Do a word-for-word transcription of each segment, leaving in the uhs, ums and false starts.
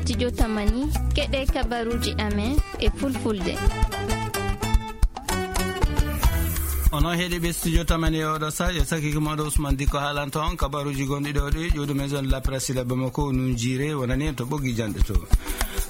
Studio Tamani, keɗe kabaruji amen e fulfulde. Onon heɗiɓe Studio Tamani e oɗo sa, yo sakiki moɗo Ousmane Diko haalanta on kabaruji gonɗi ɗo ɗi, ƴuwɗo maison de la presse Sila Bamako, nun jiire, wonani en to ɓoggi janɗe to.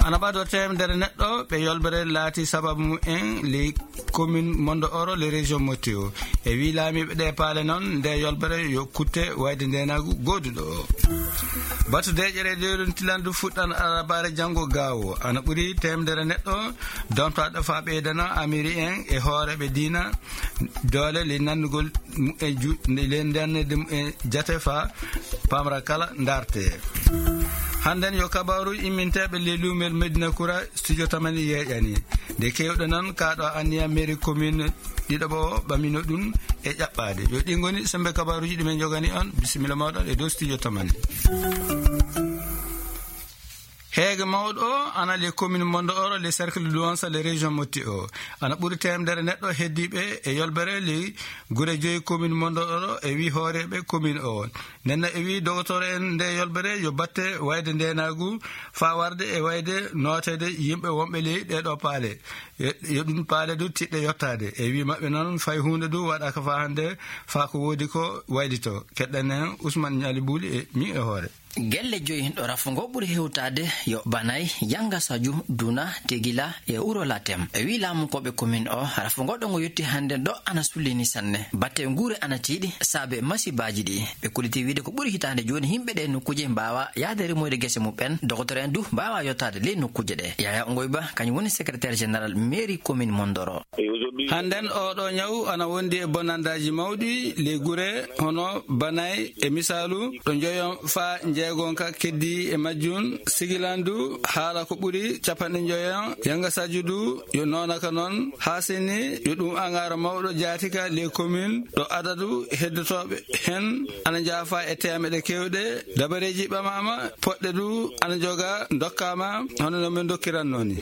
Ana ɓado teemedere neɗɗo ɓe yolbere laati sababu mumen ley commune Mondo Oro, ley région Motti o. E wi laamiiɓe ɗe paale noon, nde yolbere yo kutte wayde ndenagu gooduɗo o. Batu deeƴere e dewruntilandu fuɗɗan arabare janngo gaawo. Ana ɓuri teemedere neɗɗo domtaɗo fa ɓeydana amiri en e hooreɓe diina doole ley nannugol mumen ju-, ley nannede mumen jate fa pamra kala ndarte. Hannden yo kabaru imminteɓe ley luumel Medina Kura, Studio Tamani yeeƴani. Nde kewɗe noon, kaɗo anniya mairie commune ɗiɗaɓo o ɓamino ɗum e ƴaɓɓade. Yo ɗi ngoni sembe kabaruji ɗi men jogani on. Bisimilla moɗon e dow Studio Tamani. Heege mawɗo o ana le commune Mondo Oro, le cercle de Douansa, le région Motti o. Ana ɓuri teemedere neɗɗo heddiɓe e yolbere le gure joyi commune Mondo Oro e wi hooreɓe commune o. Nenna e wi dogotoro en nde yolbere yo batte wayde ndenagu fa warde e wayde nootede yimɓe wonɓe ley ɗeɗo paale. Yo, yo ɗum paale du tiɗɗe yottade. E wi maɓɓe noon fay hunde du waɗaka fa hande fa ko woodi ko waylito. Keɗɗen en Ousmane Ñali Buuli e mi e hoore. Gelle joyi ɗo rafungo ɓuri hewtade yo Banay, Yanga Saju, Duna, Tegila e Wuro Latem. E wi laamu koɓe commune o, rafungo ɗo ngo yotti hande ɗo ana sullini sanne. Batte nguure ana tiiɗi saabe masibaji ɗi. Ɓe kolliti wiide ko ɓuri hitande jooni yimɓe ɗe nokkuuje mbawa yaade remoyde gese muɓɓen. Dogotoro en du mbawa yottade ley nokkuuje ɗe. Yaya Ngoyba, kañum woni secrétaire général mairie commune Mondoro. Hannden oɗo ñaw ana wondi e bonandaji mawɗi ley gure hono Banay e misalu ɗo njoyon fa njeegonka keddi e majjum sigilandu haala ko ɓuri capanɗe njoyon yanga sajudu yo noonaka noon haa seni yo ɗum angara mawɗo jaatika ley commune ɗo adadu heddotoɓe hen ana njaafa e temeɗe kewɗe dabareji ɓamama poɗɗe du ana joga dokkama hono no min dokkiranno ni.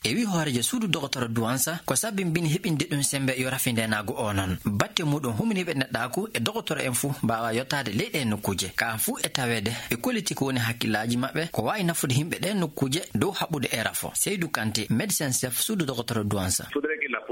E wi hoorejo suudu dogotoro Duwansa ko sabimbini heɓinde ɗum sembe yo rafi ndenagu o noon. Batte muɗum huminiɓe neɗɗaku e dogotoro en fuu mbawa yottade ley ɗe nokkuuje. Ka fuu e tawede ɓe kolliti ko woni hakkillaji maɓɓe ko wawi nafude yimɓe ɗe nokkuuje dow haɓude e rafo. Seydou Kanté, médecin chef suudu dogotoro Duwansa.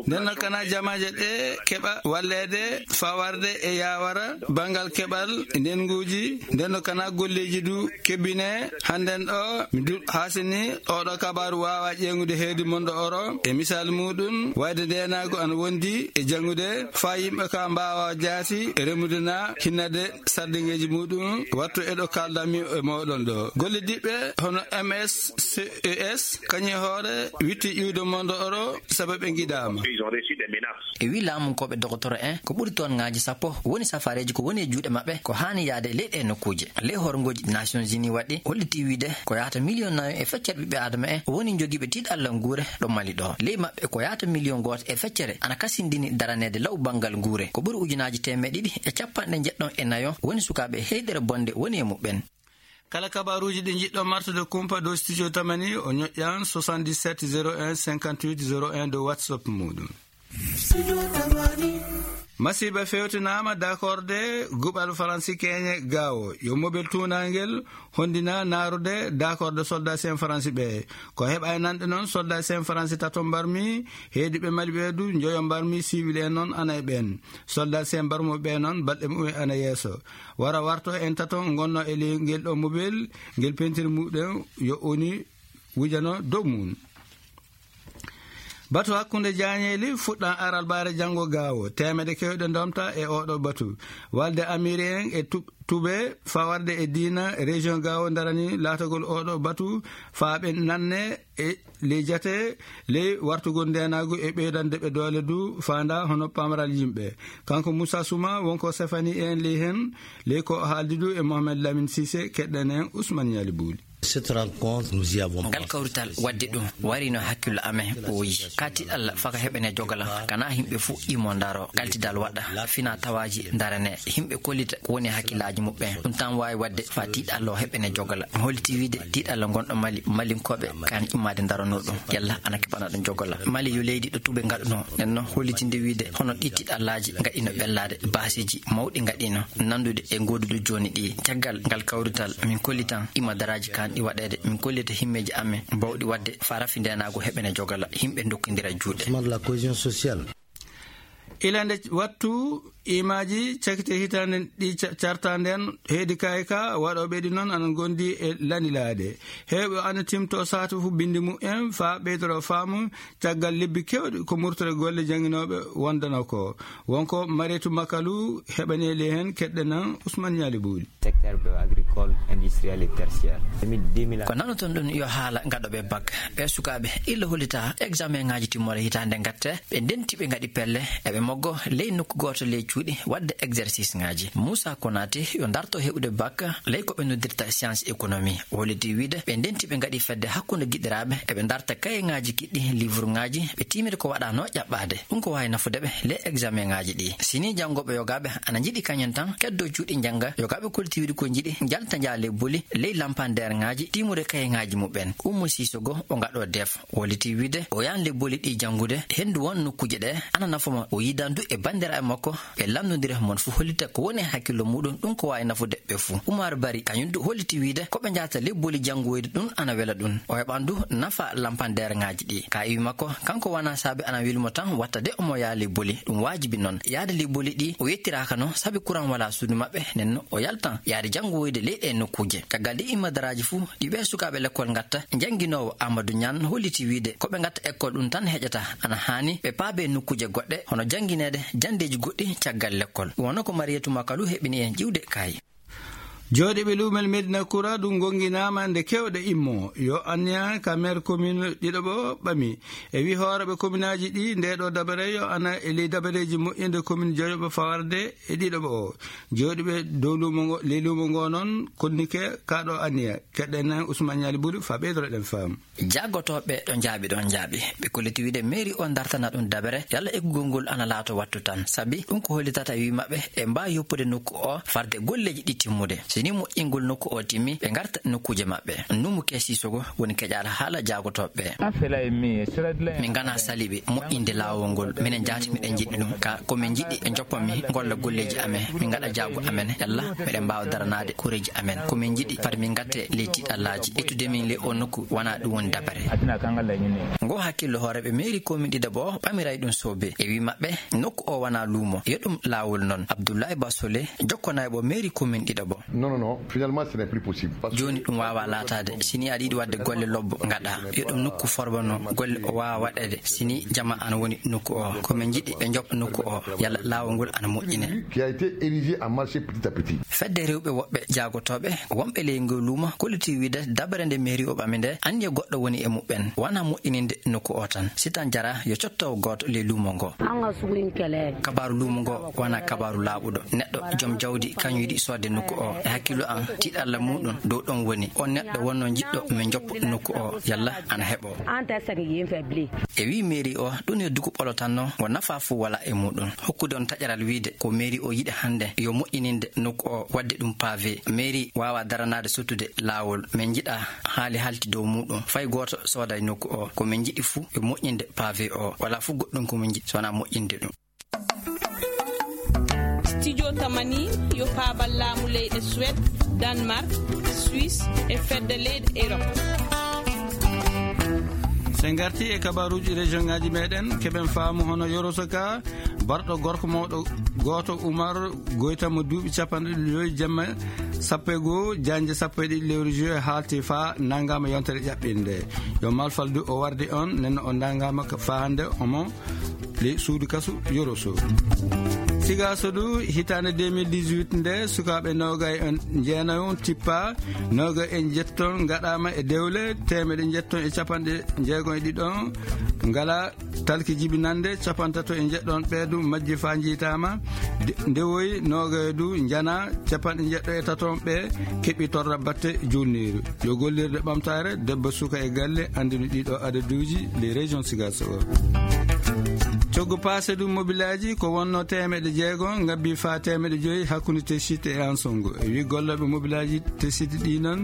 Nden noon kana jamaje ɗe keɓa wallede fawarde e yawara bangal keɓal ndenguji nden no kana golleji du kebbine hannden ɗo mi du hasini oɗo kabaru wawa ƴeŋude heedi mondo oro e misal muɗum wayde ndenago an wondi e jangude fa yimɓe ka mbawa jaati e remude na hinnade sardiŋeji muɗum wattu eɗo kaldanmi e moɗon ɗo golle diɓɓe hono M S C E S kañum e hoore witti iwde mondo oro sabu ɓe giɗama. E wi laamunkoɓe dogotoro en ko ɓuri toon ngaji sappo woni safareji ko woni e juuɗe maɓɓe ko hani yaade ley ɗe nokkuji ley horgoji nations unis waɗi holliti wiide ko yahata million nayo e feccere ɓiɓɓe adama en woni jogiiɓe tiiɗalla nguure ɗo mali ɗo ley maɓɓe ko yahata million goto e feccere ana kasindini daranede law banngal nguure ko ɓuri ujunaji temeɗe ɗiɗi e capanɗe jeɗɗon e nayo woni sukaɓe heyɗere bonde woni e muɓɓen. Kala kabaruji ɗi jiɗɗo martude kumpa dow studio tamani o ñoƴƴan soixante-dix-sept zéro un cinquante-huit zéro un dow whatsapp muɗum. Masiba fewtinama dakorde guɓal faransi keñe gawo yo mobel tunangel hondina narude dakorde soldat sen faransi ɓe ko heɓa e nanɗe noon soldat sen faransi tato mbarmi heedi ɓe mali ɓe du joyo mbarmi siwil en noon ana e ɓen soldat sen mbarmo ɓe noon balɗe mumen ana yeeso wara warto en tato gonno e ley ngel ɗo mobel ngel pentiri muɗen yo oni wujano dow mum. Batu hakkunde jañeeli fuɗɗan aralbaare janngo gaawo teemede kewɗe ndomta e oɗo batu walde amiri en e tube fawarde e diina région gaawo darani laatagol oɗo batu faaɓe nanne e ley jate ley wartugol ndenagu e ɓeydande ɓe doole du faanda hono pamral yimɓe. Kanko Moussa Souma wonko sefani en ley hen ley ko haaldi du e Mohamed Lamine Cissé keɗɗen en Ousmane Yali Bouli. Cette rencontre nous y avons ngal kawrital wadde ɗum warino hakkillo amen ɓooyi kati allah faka heɓene jogala kana himɓe fo imo ndaro kaltidal waɗa fina tawaji darane himɓe kollita ko woni hakkillaji muɓɓen ɗum tan wawi wadde fa tiɗallo heɓene jogala mi holliti wiide tiɗallo gonɗo mali malinkoɓe kan immade darano ɗum yalla ana keɓana ɗum jogala mali yo leydi ɗo tuɓe gaɗuno nden noon hollitinde wiide hono ɗi tiɗallaji gaɗino ɓellade basiji mawɗi gaɗino nandude e godude joni ɗi caggal ngal kawrital min kollitan ima daraji kan Ɗi waɗeede, min kollita himmeeji amen bawɗi waɗde faa rafi ndeenaagu heɓene jogala, yimɓe ndokkindira juuɗe. Ousmane, la cohésion sociale. Ila nde wattu imaaji cakite hitaande ɗi ca-, carta nden, heedi kaay ka waɗooɓe ɗi noon ana ngondi e lanilaade. Heewɓe ana timto saatu fu binndi mumen faa ɓeydoro faamu caggal lebbi keewɗi ko murtore golle jannginooɓe wondano ko. Wonko Mareetu Makalu heɓaneeli heen, keɗɗen Ousmane Ñaali Buuli. Secteur agricole, industriel et tertiaire. Ko nanoton ɗum yo haala gaɗooɓe bak. Ɓe sukaaɓe illa hollita examen ŋaaji timmoore hitaande ngatte, ɓe ndenti ɓe ngaɗi pelle, eɓe moggo ley nokku gooto ley cuuɗi waɗde exercice ŋaaji. Moussa Konaté yo darto heɓude bak ley ko ɓe noddirta science économie. Holliti wiide ɓe ndenti ɓe ngaɗi fedde hakkunde giɗiraaɓe, eɓe darta kaye ŋaaji kiɗɗi, livre ŋaaji, ɓe tiimiri ko waɗano ƴaɓɓaade. Ɗum ko waawi nafude ɓe ley examen ŋaaji ɗi. Sini janngooɓe yogaaɓe ana njiɗi kañum tan keddo cuuɗi njannga, yogaaɓe kolti wiide ko njiɗi njalta njaale boli ley lampander ŋaaji, tiimude kaye ŋaaji muɓɓen. Ummu Sisogo o ngaɗo def, holliti wiide o yahan le boli ɗi janngude, henndu won nokkuuje ɗe ana nafa mo. O yidan du e banndiraaɓe makko ɓe lanndondira mon fu hollita ko woni e hakkillo muɗum, ɗum ko waawi nafude ɓe fu. Umar Bari kañum du holliti wiide ko ɓe njahata le boli janngoyde ɗum ana wela ɗum. O heɓan du nafa lampander ŋaaji ɗi. Ka iwi makko, kanko wona saabe ana weli mo tan watta de omo yaha le boli. Ɗum waajibi noon. Yaade le boli ɗi o yettiraaka no sabi kuran wala suudu maɓɓe, nden o yaltan yaade janngoyde ley ɗe nokkuuje. Caggal ɗi immadaraaji fu, ɗi ɓee sukaaɓe lekkol ngatta, jannginoowo Amadou Niane holliti wiide ko ɓe ngatta ekkol ɗum tan heƴata, ana haani ɓe paabe nokkuuje goɗɗe, hono janngineede janndeeji goɗɗi caggal lekkol. Ɗum wano ko Mariyatu Makalu heɓini en ƴiwde kaay. Jooɗiiɓe luumal Medina Kura ɗum ngonnginaama nde keewɗe immo. Yo anniya ka maire commune ɗiɗo ɓo ɓami. E wi hooreɓe commune aji ɗi, nde ɗo dabare yo ana e ley dabareeji moƴƴinde commune Dieuppeul fawarde e ɗiɗo ɓo o. Jooɗiiɓe dow luumo ngo, ley luumo ngo noon, konnike ka ɗo anniya. Keɗɗen Ousmane Ñaali Buri fa ɓeydoro ɗen faamu. Jaagotooɓe ɗo njaaɓi ɗon njaaɓi. Ɓe kolliti wiide mairie o dartana ɗum dabere, yalla eggugol ngol ana laato wattu tan. Sabi ɗum ko hollitata e wi maɓɓe e mbaa yoppude nokku o farde golleeji ɗi timmude. So ni moƴƴingol nokku o timmi, ɓe ngarta nokkuuje maɓɓe. Numu Kesisogo woni keƴaala haala jaagotooɓe. Min ngana saliɓe moƴƴinde laawol ngol. Minen jaati miɗen njiɗi ɗum. Ka ko min njiɗi ɓe njoppa min ngolla golleeji amen. Min ngaɗa jaago amen. Yalla miɗen mbaawa daranaade koreeji amen. Ko min njiɗi fati min ngatte ley tiiɗallaaji. Ƴettude min ley o nokku wona ɗum woni dabare. Ngo hakkillo hooreeɓe mairie commune ɗiɗo ɓo ɓamiray ɗum soobe. E wi maɓɓe nokku o wona luumo. Yo ɗum laawol noon. Abdoulaye Basole jokkonayɓo mairie commune ɗiɗo ɓo. Non, non, non. Finalement, ce n'est plus possible. Parce que jooni ɗum waawa laataade. Si ni aɗa yiɗi waɗde golle lobbo ngaɗa. Yo ɗum nokku forbano golle o waawa waɗeede. Si ni jama ana woni nokku o. Ko min njiɗi ɓe njoppa nokku o. Yalla laawol ngol ana moƴƴine. Qui a été érigé en marché petit à petit. Fedde rewɓe woɓɓe jaagotooɓe wonɓe ley ngol luumo kolliti wiide dabare nde mairie o ɓami nde anniya goɗɗo woni e muɓɓen. Wona moƴƴininde nokku o tan. Si tan jara yo cotto gooto ley luumo ngo. An ka sugu in kɛlɛ. Kabaaru luumo ngo wona kabaaru laaɓuɗo. Neɗɗo joom jawdi kañum yiɗi soodde nokku o. E hakkillo am tiiɗalla muɗum dow ɗon woni. On neɗɗo wonno jiɗɗo min joppa nokku o yalla ana heɓo. An tɛ sɛgɛn yen fɛ bilen. E wi mairie o ɗum yo dugu ɓolo tan no ngo nafa fu wala e muɗum. Hokkude on taƴaral wiide ko mairie o yiɗi hannde yo moƴƴininde nokku o waɗde ɗum pavé. Mairie waawa daranaade sottude laawol. Min njiɗa haali halti dow muɗum. Fay gooto sooday nokku o. Ko min njiɗi fu yo moƴƴinde pavé o. Wala fu goɗɗum ko min njiɗi so wona moƴƴinde ɗum. Studio Tamani yo paabal laamu leyɗe Suède, Danemark, Suisse e fedde leyɗe Europe. So en ngarti e kabaruuji région ngaji meɗen, keɓen faamu hono Yoroso ka, barɗo gorko mawɗo gooto Umar Goyta mo duuɓi capanɗe joyi jemma sappo e goo, jannde sappo e ɗiɗi lewru juillet haalti faa nanngaama yontere ƴaɓɓinde. Yo malfal du o wardi on, nenno o nanngaama ka faa hannde omo ley suudu kasu Yoroso. Sigaso du hitaande deux mille dix-huit nde sukaaɓe noogay en jeenayon tippa, noogay en jetton ngaɗaama e dewle, teemeɗe jetton e capanɗe jeegon e ɗiɗon ngala talki jibinande, capantato e jeɗɗon ɓe du majji faa njiitaama. De-, ndewoyi noogay du njana, capanɗe jeɗɗo e taton ɓe keɓi torra batte julniiru. Yo gollirde ɓamtaare, debbo suka e galle, anndinu ɗiɗo adaduuji, les régions Sigaso o. Coggu paase ɗum mobilaaji ko wonno teemeɗe jeego ngabbi faa teemeɗe joyi hakkunde Tesiit e Ansongo. E wi gollooɓe mobilaaji Tesiit ɗi noon,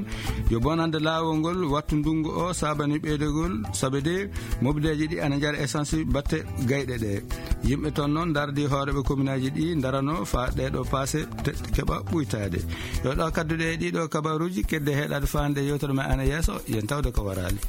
yo bonande laawol ngol wattu ndunngu o saabani ɓeydegol, sabe de mobilaaji ɗi ana njara essence batte gayɗe ɗe. Yimɓe toon noon ndardi hooreeɓe kominaaji ɗi ndarano faa ɗeeɗo paase te-, keɓa ɓuytaade. Yo ɗo kadduɗe e ɗiɗo kabaruuji kedde heɗaade faande yewtere men ana yeeso, yen tawde ko waraali.